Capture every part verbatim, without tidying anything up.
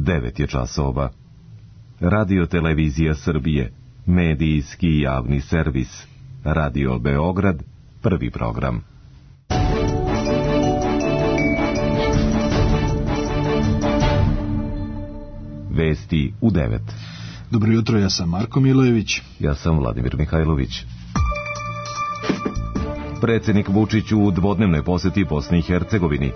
devet je časova. Radio Televizija Srbije, medijski javni servis. Radio Beograd, prvi program. Vesti u devet. Dobro jutro, ja sam Marko Milojević. Ja sam Vladimir Mihajlović. Predsjednik Vučić u dvodnevnoj posjeti Bosni i Hercegovini.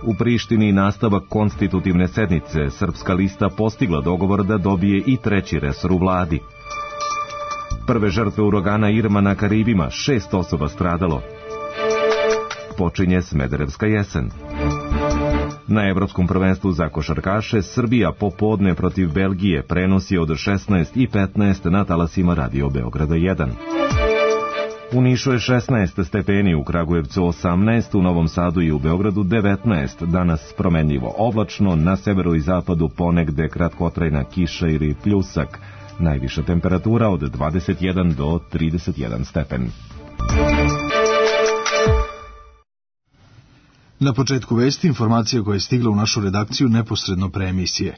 U Prištini nastavak konstitutivne sednice, Srpska lista postigla dogovor da dobije i treći resor u vladi. Prve žrtve uragana Irma na Karibima, šest osoba stradalo. Počinje Smederevska jesen. Na Evropskom prvenstvu za košarkaše Srbija popodne protiv Belgije prenosi od šesnaest i petnaest na talasima Radio Beograda jedan. U Nišu je šesnaest stepeni, u Kragujevcu osamnaest, u Novom Sadu i u Beogradu devetnaest, danas promenljivo oblačno, na severu i zapadu ponegde kratkotrajna kiša ili pljusak, najviša temperatura od dvadeset jedan do trideset jedan stepen. Na početku vesti informacija koja je stigla u našu redakciju neposredno pre emisije.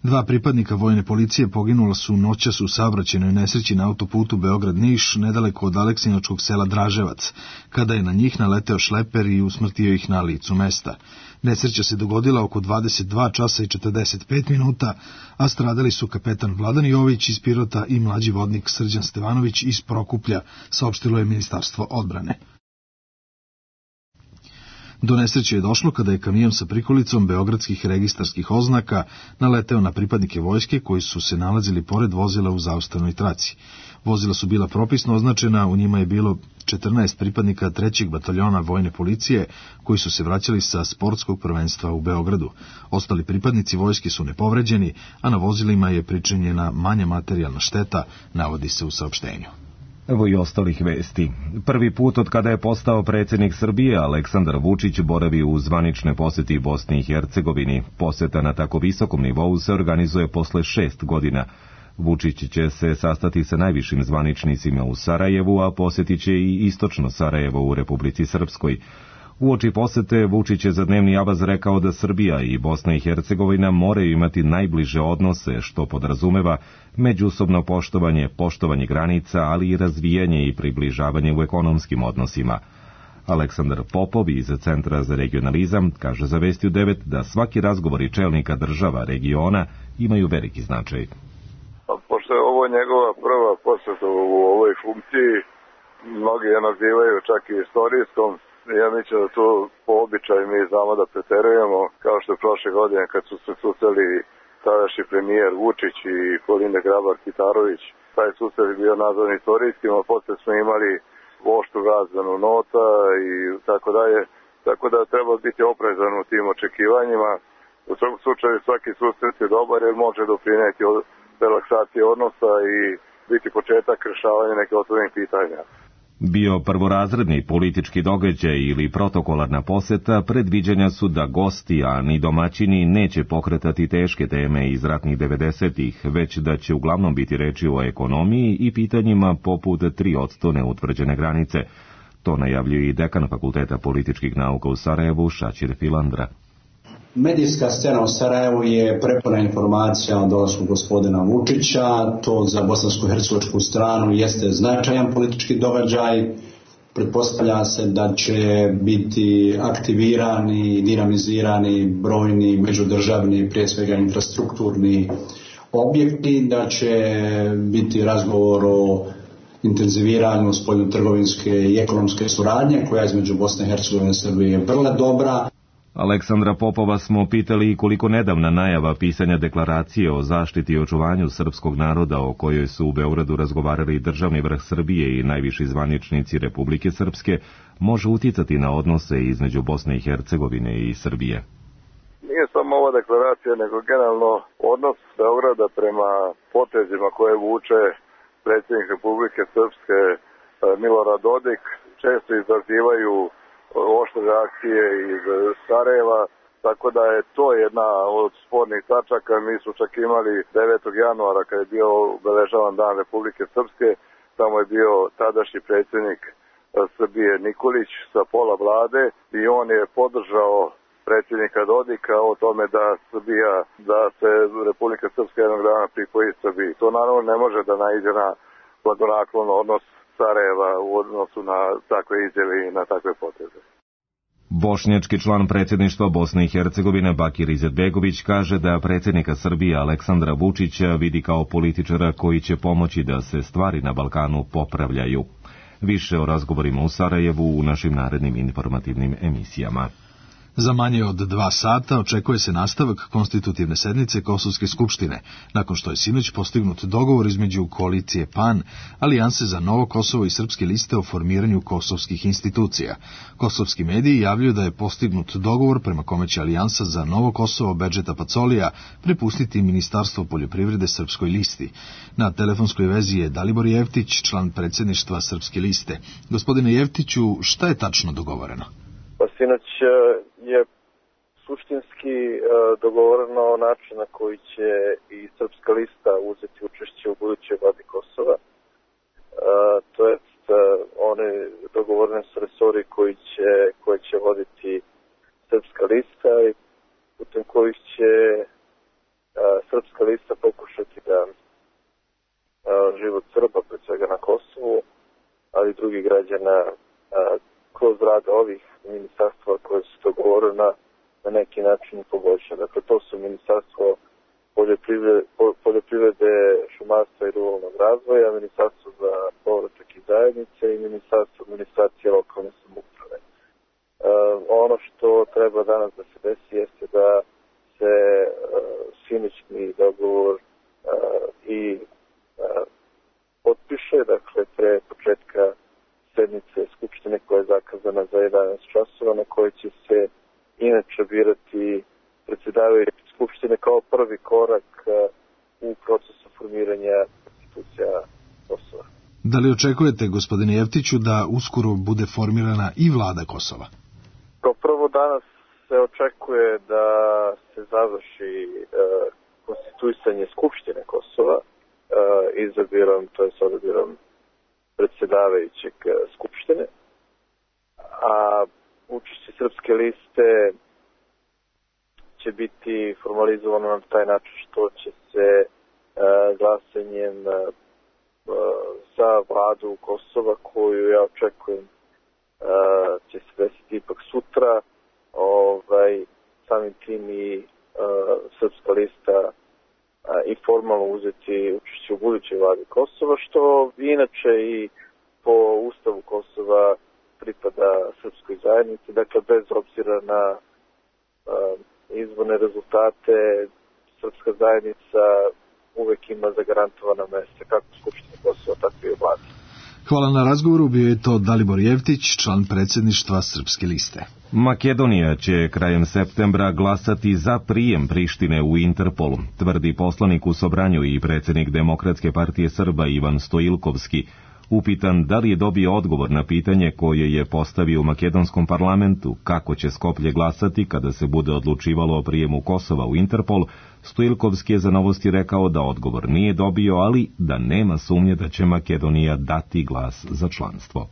Dva pripadnika vojne policije poginula su noćas u saobraćajnoj nesreći na autoputu Beograd-Niš, nedaleko od aleksinačkog sela Draževac, kada je na njih naleteo šleper i usmrtio ih na licu mesta. Nesreća se dogodila oko dvadeset dva časa i četrdeset pet minuta, a stradali su kapetan Vladan Jović iz Pirota i mlađi vodnik Srđan Stevanović iz Prokuplja, saopštilo je Ministarstvo odbrane. Do nesreće je došlo kada je kamion sa prikolicom beogradskih registarskih oznaka naleteo na pripadnike vojske koji su se nalazili pored vozila u zaustavnoj traci. Vozila su bila propisno označena, u njima je bilo četrnaest pripadnika trećeg bataljona vojne policije koji su se vraćali sa sportskog prvenstva u Beogradu. Ostali pripadnici vojske su nepovređeni, a na vozilima je pričinjena manja materijalna šteta, navodi se u saopštenju. Evo i ostalih vesti. Prvi put od kada je postao predsjednik Srbije, Aleksandar Vučić boravi u zvanične posjeti Bosni i Hercegovini. Posjeta na tako visokom nivou se organizuje posle šest godina. Vučić će se sastati sa najvišim zvaničnicima u Sarajevu, a posjetit će i istočno Sarajevo u Republici Srpskoj. Uoči posete Vučić je za dnevni avaz rekao da Srbija i Bosna i Hercegovina moraju imati najbliže odnose, što podrazumeva međusobno poštovanje, poštovanje granica, ali i razvijanje i približavanje u ekonomskim odnosima. Aleksandar Popov iz Centra za regionalizam kaže za Vesti u devet da svaki razgovori čelnika država regiona imaju veliki značaj. Pošto je ovo njegova prva posjeta u ovoj funkciji, mnogi je nazivaju čak i istorijskom. Ja mislim da tu po običaju mi znamo da preterujemo, kao što je prošle godine kad su se susreli tadašnji premijer Vučić i Kolinda Grabar-Kitarović. Taj susret je bio nazvan istorijskim, a posle smo imali oštru razmenu nota i tako dalje. Tako da treba biti oprezan u tim očekivanjima. U svakom slučaju svaki susret je dobar jer može doprineti relaksacije odnosa i biti početak rešavanja neke otvorenih pitanja. Bio prvorazredni politički događaj ili protokolarna poseta, predviđanja su da gosti, a ni domaćini, neće pokretati teške teme iz ratnih devedesetih, već da će uglavnom biti reči o ekonomiji i pitanjima poput tri posto neutvrđene granice. To najavljuje i dekan Fakulteta političkih nauka u Sarajevu, Šačir Filandra. Medijska scena u Sarajevu je prepuna informacija o dolasku gospodina Vučića. To za bosansko-hercegovačku stranu jeste značajan politički događaj. Pretpostavlja se da će biti aktivirani i dinamizirani brojni međudržavni, prije svega infrastrukturni objekti, da će biti razgovor o intenziviranju spoljnotrgovinske i ekonomske suradnje, koja između Bosne i Hercegovine i Srbije je vrlo dobra. Aleksandra Popova smo pitali koliko nedavna najava pisanja deklaracije o zaštiti i očuvanju srpskog naroda, o kojoj su u Beogradu razgovarali državni vrh Srbije i najviši zvaničnici Republike Srpske, može uticati na odnose između Bosne i Hercegovine i Srbije. Nije samo ova deklaracija, nego generalno odnos Beograda prema potezima koje vuče predsjednik Republike Srpske Milorad Dodik često izazivaju oštre reakcije iz Sarajeva, tako da je to jedna od spornih tačaka. Mi smo čak imali devetog januara kad je bio obeležavan Dan Republike Srpske, tamo je bio tadašnji predsjednik Srbije Nikolić sa pola vlade i on je podržao predsjednika Dodika o tome da Srbija, da se Republika Srpska jednog dana pripoji Srbiji. To naravno ne može da naiđe na blagonaklon odnos Sarajeva u odnosu na takve izjave i na takve poteze. Bošnjački član predsjedništva Bosne i Hercegovine Bakir Izetbegović kaže da predsjednika Srbije Aleksandra Vučića vidi kao političara koji će pomoći da se stvari na Balkanu popravljaju. Više o razgovorima u Sarajevu u našim narednim informativnim emisijama. Za manje od dva sata očekuje se nastavak konstitutivne sednice Kosovske skupštine, nakon što je sinoć postignut dogovor između koalicije PAN, Alijanse za Novo Kosovo i Srpske liste o formiranju kosovskih institucija. Kosovski mediji javljaju da je postignut dogovor prema kome će Alijansa za Novo Kosovo Bedžeta Pacolija prepustiti Ministarstvo poljoprivrede Srpskoj listi. Na telefonskoj vezi je Dalibor Jevtić, član predsjedništva Srpske liste. Gospodine Jevtiću, šta je tačno dogovoreno? Pa sinoć je suštinski dogovoreno način na koji će i Srpska lista uzeti učešće u budućoj vladi Kosova. To jest, one dogovorene su resori koji će, koje će voditi Srpska lista i putem kojih će Srpska lista pokušati da život Srba, pre svega na Kosovu, ali i drugih građana kroz rad ovih ministarstva koje su dogovorena na neki način poboljša. Dakle, to su ministarstvo poljoprivrede, poljoprivrede šumarstva i ruralnog razvoja, ministarstvo za povratak i zajednice i ministarstvo administracije lokalne samouprave. E, ono što treba danas da se desi jeste da se e, sinoćni dogovor e, i e, potpiše, dakle, pre početka sednice Skupštine koja je zakazana za jedanaest časova, na kojoj će se inače birati predsjedavajući Skupštine kao prvi korak u procesu formiranja institucija Kosova. Da li očekujete, gospodine Jevtiću, da uskoro bude formirana i vlada Kosova? Kao prvo, danas se očekuje da se završi e, konstituisanje Skupštine Kosova e, izabirom, to je s odabirom predsjedavajućeg Skupštine, a učešće Srpske liste će biti formalizovano na taj način što će se e, glasanjem e, za vladu Kosova, koju ja očekujem e, će se desiti ipak sutra, ovaj, samim tim i e, Srpska lista i formalno uzeti učešće u budućoj vladi Kosova, što inače i po Ustavu Kosova pripada Srpskoj zajednici, dakle bez obzira na uh, izborne rezultate, Srpska zajednica uvek ima zagarantovana mesta kako u Skupštini Kosova, tako i u vladi. Hvala na razgovoru, bio je to Dalibor Jevtić, član predsjedništva Srpske liste. Makedonija će krajem septembra glasati za prijem Prištine u Interpolu, tvrdi poslanik u Sobranju i predsjednik Demokratske partije Srba Ivan Stoilkovski. Upitan da li je dobio odgovor na pitanje koje je postavio u makedonskom parlamentu kako će Skoplje glasati kada se bude odlučivalo o prijemu Kosova u Interpol, Stoilkovski je za Novosti rekao da odgovor nije dobio, ali da nema sumnje da će Makedonija dati glas za članstvo.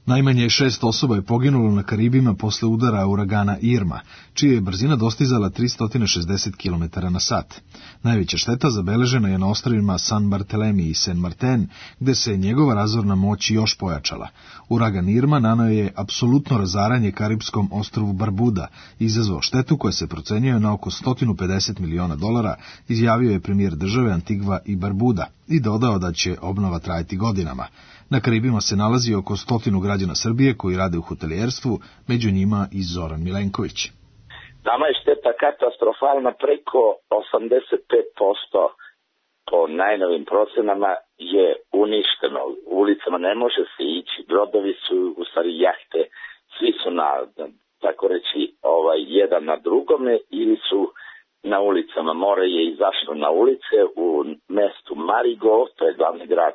Najmanje šest osoba je poginulo na Karibima posle udara uragana Irma, čija je brzina dostizala tristo šezdeset kilometara na sat. Najveća šteta zabeležena je na ostrvima San Bartolomé i Saint Martin, gde se njegova razorna moć još pojačala. Uragan Irma naneo je apsolutno razaranje karipskom ostrvu Barbuda i izazvao štetu koja se procenjuje na oko sto pedeset miliona dolara, izjavio je premijer države Antigva i Barbuda i dodao da će obnova trajati godinama. Na Karibima se nalazi oko stotinu građana Srbije koji rade u hotelijerstvu, među njima i Zoran Milenković. Nama je šteta katastrofalna, preko osamdeset pet posto po najnovim procenama je uništeno. U ulicama ne može se ići, brodovi su, u stvari jahte, svi su na, tako reći, ovaj, jedan na drugome ili su na ulicama. More je izašlo na ulice u mestu Marigo, to je glavni grad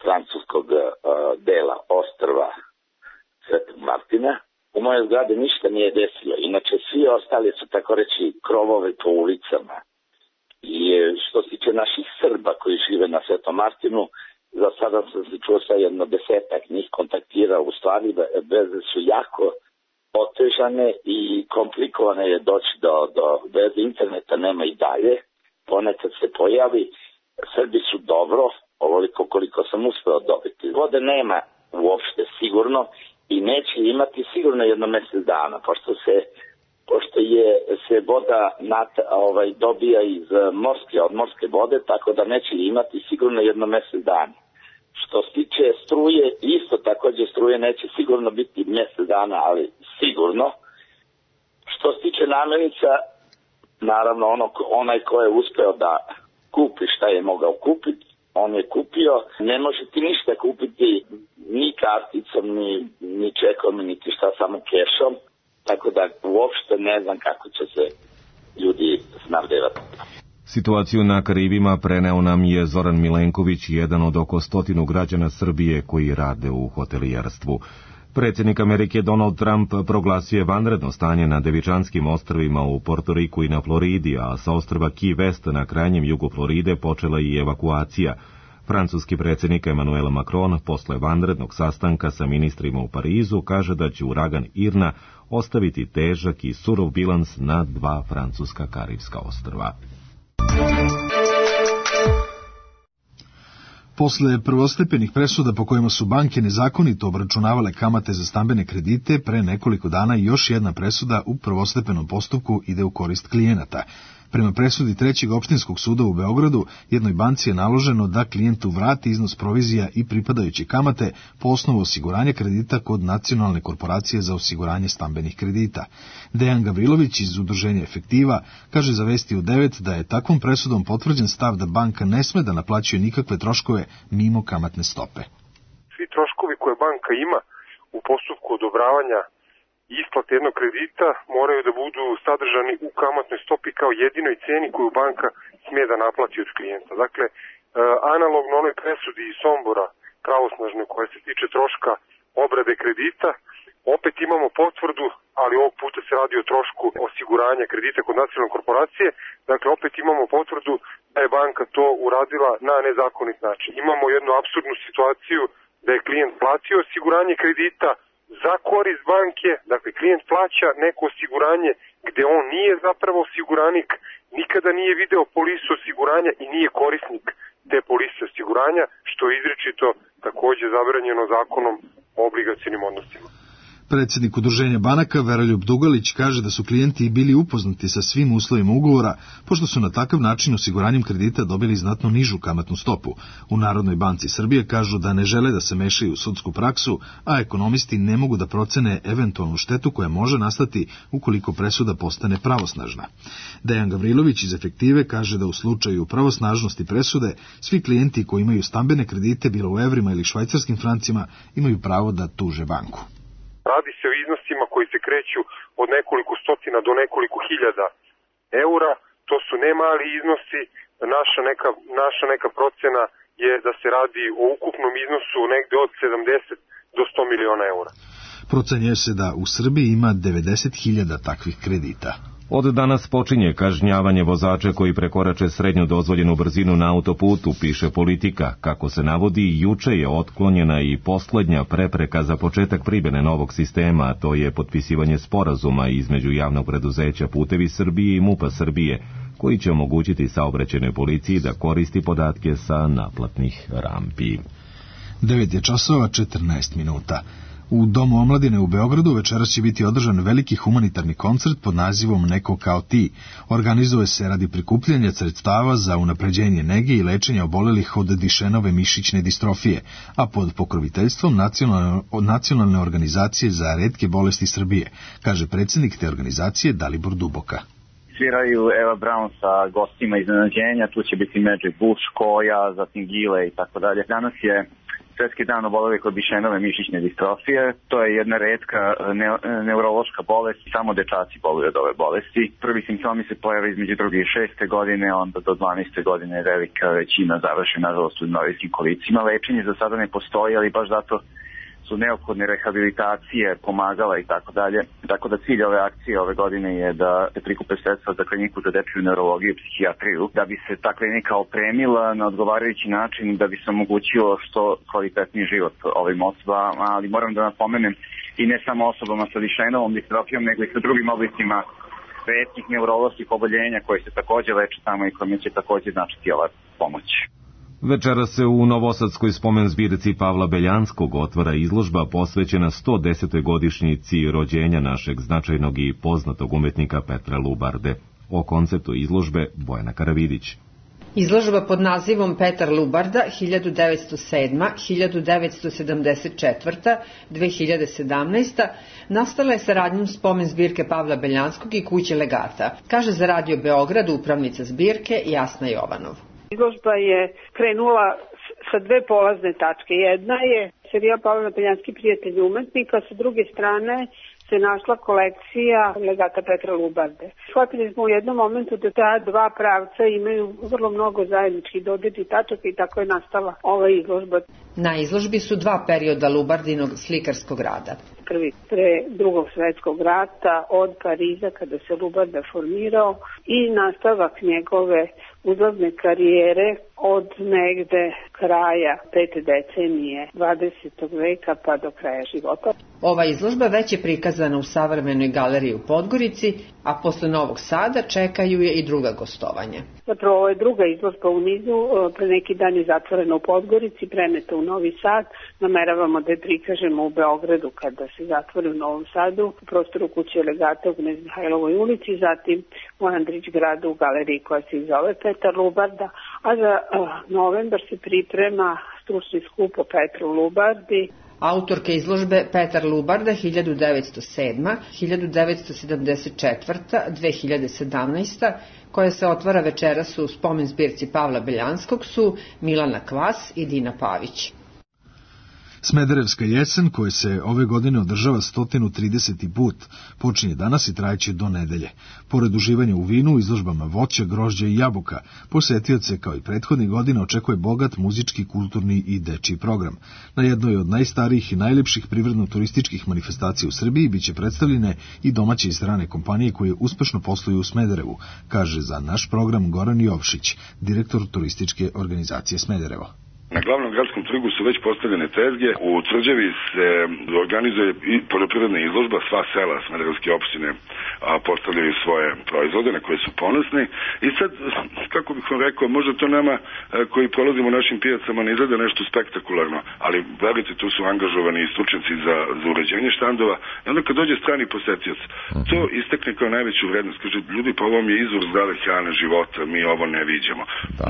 francuskog uh, dela ostrva Svetog Martina. U mojoj zgradi ništa nije desilo. Inače, svi ostali su, tako reći, krovove po ulicama. I što se tiče naših Srba koji žive na Svetom Martinu, za sada sam se čuo sa jedno desetak njih kontaktirao, u stvari veze su jako otežane i komplikovane je doći do, do veze, interneta nema i dalje, ponekad se pojavi, Srbi su dobro, ovoliko koliko sam uspeo dobiti. Vode nema uopšte sigurno i neće imati sigurno jedno mjesec dana, pošto se pošto je se voda nat, ovaj, dobija iz morske, od morske vode, tako da neće imati sigurno jedno mjesec dana. Što se tiče struje, isto također struje neće sigurno biti mjesec dana, ali sigurno. Što se tiče namirnica, naravno ono, onaj ko je uspeo da kupi šta je mogao kupiti, on je kupio. Ne može ti ništa kupiti ni karticom, ni, ni čekom, niti šta, samo kešom. Tako da uopšte ne znam kako će se ljudi snabdevati. Situaciju na Karibima preneo nam je Zoran Milenković, jedan od oko stotinu građana Srbije koji rade u hotelijerstvu. Predsjednik Amerike Donald Trump proglasio je vanredno stanje na Devičanskim ostrvima u Portoriku i na Floridi, a sa ostrva Key West na krajnjem jugu Floride počela i evakuacija. Francuski predsjednik Emmanuel Macron posle vanrednog sastanka sa ministrima u Parizu kaže da će uragan Irna ostaviti težak i surov bilans na dva francuska karibska ostrva. Posle prvostepenih presuda po kojima su banke nezakonito obračunavale kamate za stambene kredite, pre nekoliko dana još jedna presuda u prvostepenom postupku ide u korist klijenata. Prema presudi Trećeg opštinskog suda u Beogradu, jednoj banci je naloženo da klijentu vrati iznos provizija i pripadajuće kamate po osnovu osiguranja kredita kod Nacionalne korporacije za osiguranje stambenih kredita. Dejan Gavrilović iz udruženja Efektiva kaže za Vesti u devet da je takvom presudom potvrđen stav da banka ne sme da naplaćuje nikakve troškove mimo kamatne stope. Svi troškovi koje banka ima u postupku odobravanja isplate jednog kredita moraju da budu sadržani u kamatnoj stopi kao jedinoj ceni koju banka smije da naplati od klijenta. Dakle, analogno onoj presudi iz Sombora pravosnažne koja se tiče troška obrade kredita, opet imamo potvrdu, ali ovog puta se radi o trošku osiguranja kredita kod Nacionalne korporacije, dakle opet imamo potvrdu da je banka to uradila na nezakonit način. Imamo jednu apsurdnu situaciju da je klijent platio osiguranje kredita za korist banke, dakle klijent plaća neko osiguranje gde on nije zapravo osiguranik, nikada nije video polisu osiguranja i nije korisnik te polise osiguranja, što je izričito takođe zabranjeno zakonom o obligacionim odnosima. Predsjednik udruženja banaka Veroljub Dugalić kaže da su klijenti bili upoznati sa svim uslovima ugovora, pošto su na takav način osiguranjem kredita dobili znatno nižu kamatnu stopu. U Narodnoj banci Srbije kažu da ne žele da se mešaju u sudsku praksu, a ekonomisti ne mogu da procene eventualnu štetu koja može nastati ukoliko presuda postane pravosnažna. Dejan Gavrilović iz Efektive kaže da u slučaju pravosnažnosti presude svi klijenti koji imaju stambene kredite, bilo u evrima ili švajcarskim francima, imaju pravo da tuže banku. Radi se o iznosima koji se kreću od nekoliko stotina do nekoliko hiljada eura. To su ne mali iznosi. Naša neka, naša neka procena je da se radi o ukupnom iznosu negde od sedamdeset do sto miliona eura. Procenjuje se da u Srbiji ima devedeset hiljada takvih kredita. Od danas počinje kažnjavanje vozača koji prekorače srednju dozvoljenu brzinu na autoputu, piše Politika. Kako se navodi, juče je otklonjena i poslednja prepreka za početak primjene novog sistema, a to je potpisivanje sporazuma između javnog preduzeća Putevi Srbije i MUP-a Srbije, koji će omogućiti saobraćajnoj policiji da koristi podatke sa naplatnih rampi. devet je časova četrnaest minuta. U Domu omladine u Beogradu večeras će biti održan veliki humanitarni koncert pod nazivom Neko kao ti. Organizuje se radi prikupljanja sredstava za unapređenje nege i lečenja obolelih od Dišenove mišićne distrofije, a pod pokroviteljstvom nacionalne, nacionalne organizacije za retke bolesti Srbije, kaže predsjednik te organizacije Dalibor Duboka. Sviraju Eva Brown sa gostima iznenađenja, tu će biti Magic Bush, Koja, zatim Gile i tako dalje. Danas je Svetski dan obolelih od Dišenove mišićne distrofije. To je jedna retka ne, neurološka bolest, samo dečaci boluju od ove bolesti. Prvi simptomi se pojave između druge i šeste godine, onda do dvanaeste godine velika većina završi nažalost u invalidiskim kolicima. Lečenje za sada ne postoji, ali baš zato su neophodne rehabilitacije, pomagala i tako dalje. Tako da cilj ove akcije ove godine je da se prikupe sredstva za kliniku za dečiju neurologiju i psihijatriju, da bi se ta klinika opremila na odgovarajući način, da bi se omogućilo što kvalitetniji život ovim osobama, ali moram da napomenem i ne samo osobama sa Duchenneovom distrofijom, nego i sa drugim oblicima retkih neuroloških oboljenja koje se takođe leče tamo i kojima će takođe značiti ova pomoć. Večera se u novosadskoj spomen zbirci Pavla Beljanskog otvara izložba posvećena sto desetoj godišnjici rođenja našeg značajnog i poznatog umetnika Petra Lubarde. O konceptu izložbe Bojana Karavidić. Izložba pod nazivom Petar Lubarda hiljadu devetsto sedma do hiljadu devetsto sedamdeset četvrta do dve hiljade sedamnaesta. nastala je saradnjom spomen zbirke Pavla Beljanskog i kuće legata, kaže za Radio Beograd upravnica zbirke Jasna Jovanov. Izložba je krenula sa dve polazne tačke. Jedna je serijal Pavla Beljanski prijatelj umetnika, sa druge strane se našla kolekcija legata Petra Lubarde. Shvatili smo u jednom momentu da ta dva pravca imaju vrlo mnogo zajedničkih dodirnih tačaka i tako je nastala ova izložba. Na izložbi su dva perioda Lubardinog slikarskog rada. Prvi pre drugog svetskog rata od Pariza kada se Lubarda formirao i nastavak njegove uzlazne karijere od negde kraja pete decenije dvadesetog veka pa do kraja života. Ova izložba već je prikazana u Savremenoj galeriji u Podgorici, a posle Novog Sada čekaju je i druga gostovanja. Zapravo ovo je druga izložba u nizu, pre neki dan je zatvorena u Podgorici, preneta u Novi Sad, nameravamo da je prikažemo u Beogradu kada se zatvori u Novom Sadu, u prostoru kuće legata u Knez Mihajlovoj ulici, zatim u Andrić gradu u galeriji koja se zove Petar Lubarda, a za uh, novembar se priprema stručni skup o Petru Lubardi. Autorke izložbe Petar Lubarda hiljadu devetsto sedma do hiljadu devetsto sedamdeset četvrta do dve hiljade sedamnaesta. koja se otvara večeras u spomen zbirci Pavla Beljanskog su Milana Kvas i Dina Pavić. Smederevska jesen, koja se ove godine održava sto trideseti put, počinje danas i trajeće do nedelje. Pored uživanja u vinu, izložbama voća, grožđa i jabuka, posetioce kao i prethodnih godina očekuje bogat muzički, kulturni i dečiji program. Na jednoj od najstarijih i najlepših privredno-turističkih manifestacija u Srbiji biće predstavljene i domaće i strane kompanije koje uspešno posluju u Smederevu, kaže za naš program Goran Jovšić, direktor turističke organizacije Smederevo. Na glavnom gradskom trgu su već postavljene tezge. U Tvrđavi se organizuje i poljoprivredna izložba. Sva sela smederevske opštine postavljaju svoje proizvode na koje su ponosni. I sad, kako bih vam rekao, možda to nama koji prolazimo našim pijacama ne izgleda nešto spektakularno, ali verujte, tu su angažovani i stručnjaci za, za uređenje štandova. I onda kad dođe strani posetioc, to istekne kao najveću vrednost. Kaže, ljudi, pa ovo mi je izvor zdrave hrane, života, mi ovo ne viđamo.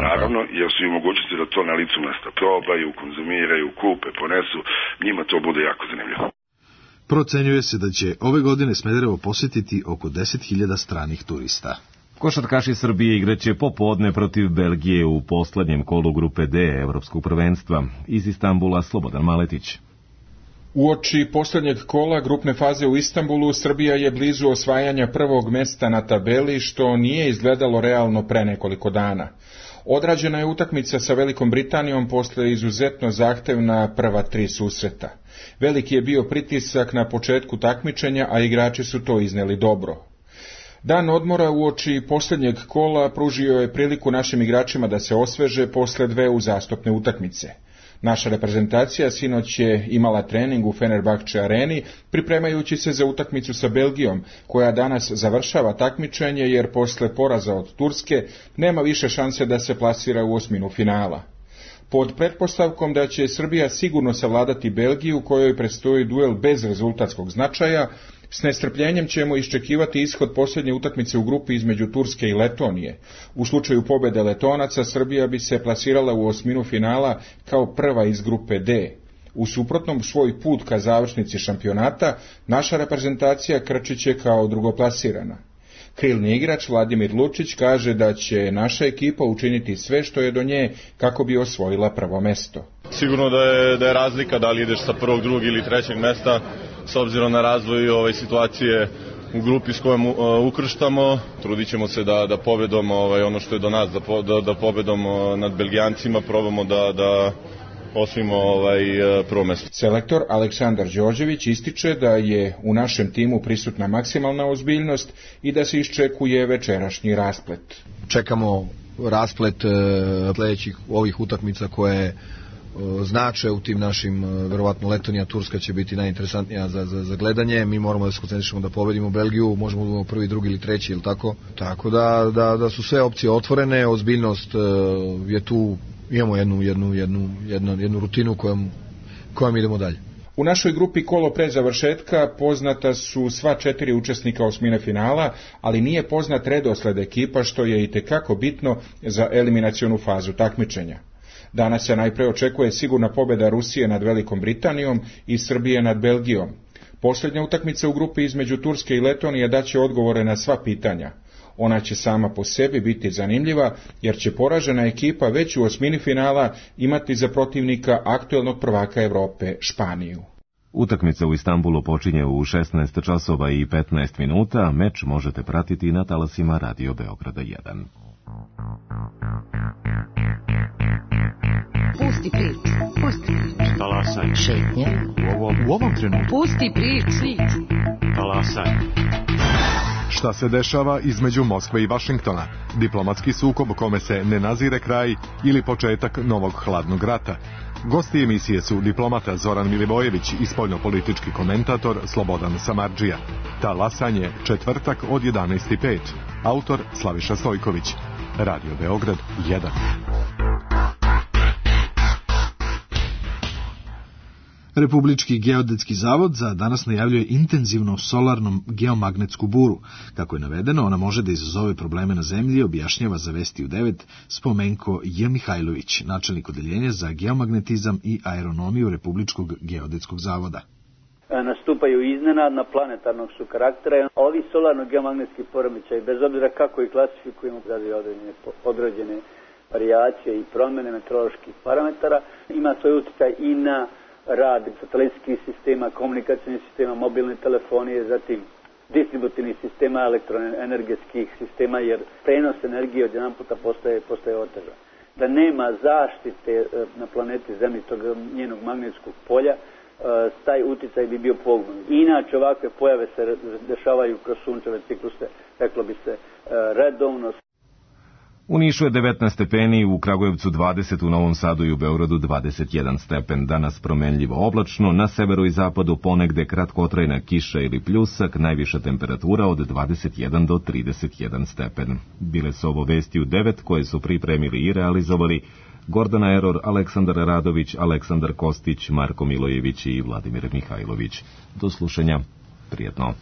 Naravno, jer su i mogućnosti da to na licu mesta probaju, konzumiraju, kupe, ponesu, njima to bude jako zanimljivo. Procenjuje se da će ove godine Smederevo posjetiti oko deset hiljada stranih turista. Košarkaši Srbije igraće popodne protiv Belgije u poslednjem kolu grupe D Evropskog prvenstva. Iz Istanbula Slobodan Maletić. Uoči poslednjeg kola grupne faze u Istanbulu, Srbija je blizu osvajanja prvog mesta na tabeli, što nije izgledalo realno pre nekoliko dana. Odrađena je utakmica sa Velikom Britanijom posle izuzetno zahtevna prva tri susreta. Veliki je bio pritisak na početku takmičenja, a igrači su to izneli dobro. Dan odmora uoči poslednjeg kola pružio je priliku našim igračima da se osveže posle dve uzastopne utakmice. Naša reprezentacija sinoć je imala trening u Fenerbahče areni, pripremajući se za utakmicu sa Belgijom, koja danas završava takmičenje jer posle poraza od Turske nema više šanse da se plasira u osminu finala. Pod pretpostavkom da će Srbija sigurno savladati Belgiju, kojoj predstoji duel bez rezultatskog značaja, s nestrpljenjem ćemo iščekivati ishod posljednje utakmice u grupi između Turske i Letonije. U slučaju pobede Letonaca, Srbija bi se plasirala u osminu finala kao prva iz grupe D. U suprotnom, svoj put ka završnici šampionata naša reprezentacija krčiće kao drugoplasirana. Krilni igrač Vladimir Lučić kaže da će naša ekipa učiniti sve što je do nje kako bi osvojila prvo mesto. Sigurno da je, da je razlika da li ideš sa prvog, drugog ili trećeg mesta, s obzirom na razvoj ove situacije u grupi s kojom uh, ukrštamo. Trudit ćemo se da, da pobedom ovaj, ono što je do nas, da, po, da, da pobedom uh, nad Belgijancima probamo da, da osvojimo ovaj, prvo mesto. Selektor Aleksandar Đorđević ističe da je u našem timu prisutna maksimalna ozbiljnost i da se iščekuje večerašnji rasplet. Čekamo rasplet sledećih ovih utakmica koje znače u tim našim, verovatno Letonija, Turska će biti najinteresantnija za, za, za gledanje. Mi moramo da se koncentrišemo da pobedimo Belgiju, možemo da budemo prvi, drugi ili treći, ili tako. Tako da, da, da su sve opcije otvorene, ozbiljnost je tu, imamo jednu, jednu, jednu, jednu, jednu rutinu kojom, kojom idemo dalje. U našoj grupi kolo pre završetka poznata su sva četiri učesnika osmine finala, ali nije poznat redosled ekipa, što je itekako bitno za eliminacionu fazu takmičenja. Danas se najpre očekuje sigurna pobjeda Rusije nad Velikom Britanijom i Srbije nad Belgijom. Posljednja utakmica u grupi između Turske i Letonije daće odgovore na sva pitanja. Ona će sama po sebi biti zanimljiva, jer će poražena ekipa već u osmini finala imati za protivnika aktuelnog prvaka Evrope Španiju. Utakmica u Istanbulu počinje u šesnaest časova i petnaest minuta, meč možete pratiti na talasima Radio Beograda jedan. Pusti priču, pusti priču. Talasaj. Šetnje. U ovom, u ovom trenutku. Pusti priču. Talasaj. Šta se dešava između Moskve i Vašingtona? Diplomatski sukob kome se ne nazire kraj ili početak novog hladnog rata? Gosti emisije su diplomata Zoran Milivojević i spoljnopolitički komentator Slobodan Samardžija. Talasanje, četvrtak od jedanaest i pet. Autor Slaviša Stojković. Radio Beograd jedan. Republički geodetski zavod za danas najavljuje intenzivno solarnom geomagnetsku buru. Kako je navedeno, ona može da izazove probleme na zemlji, objašnjava za Vesti u devet Spomenko J. Mihajlović, načelnik odeljenja za geomagnetizam i aeronomiju Republičkog geodetskog zavoda. Nastupaju iznenadna, planetarnog su karaktera. Ovi solarno-geomagnetski poremećaji, bez obzira kako ih klasifikujemo, radi određene, određene varijacije i promjene meteoroloških parametara, ima svoj utjecaj i na rad satelitskih sistema, komunikacijnih sistema, mobilne telefonije, zatim distributivnih sistema, elektroenergetskih sistema, jer prenos energije od jedan puta postaje, postaje otežan. Da nema zaštite na planeti Zemlji tog njenog magnetskog polja, taj uticaj bi bio poguban. Inače, ovakve pojave se dešavaju kroz sunčeve cikluse, reklo bi se, redovno. U Nišu je devetnaest stepeni, u Kragujevcu dvadeset, u Novom Sadu i u Beogradu dvadeset jedan stepen. Danas promenljivo oblačno, na severu i zapadu ponegde kratkotrajna kiša ili pljusak, najviša temperatura od dvadeset jedan do trideset jedan stepen. Bile su ovo Vesti u devet koje su pripremili i realizovali Gordana Eror, Aleksandar Radović, Aleksandar Kostić, Marko Milojević i Vladimir Mihajlović. Do slušanja, prijetno.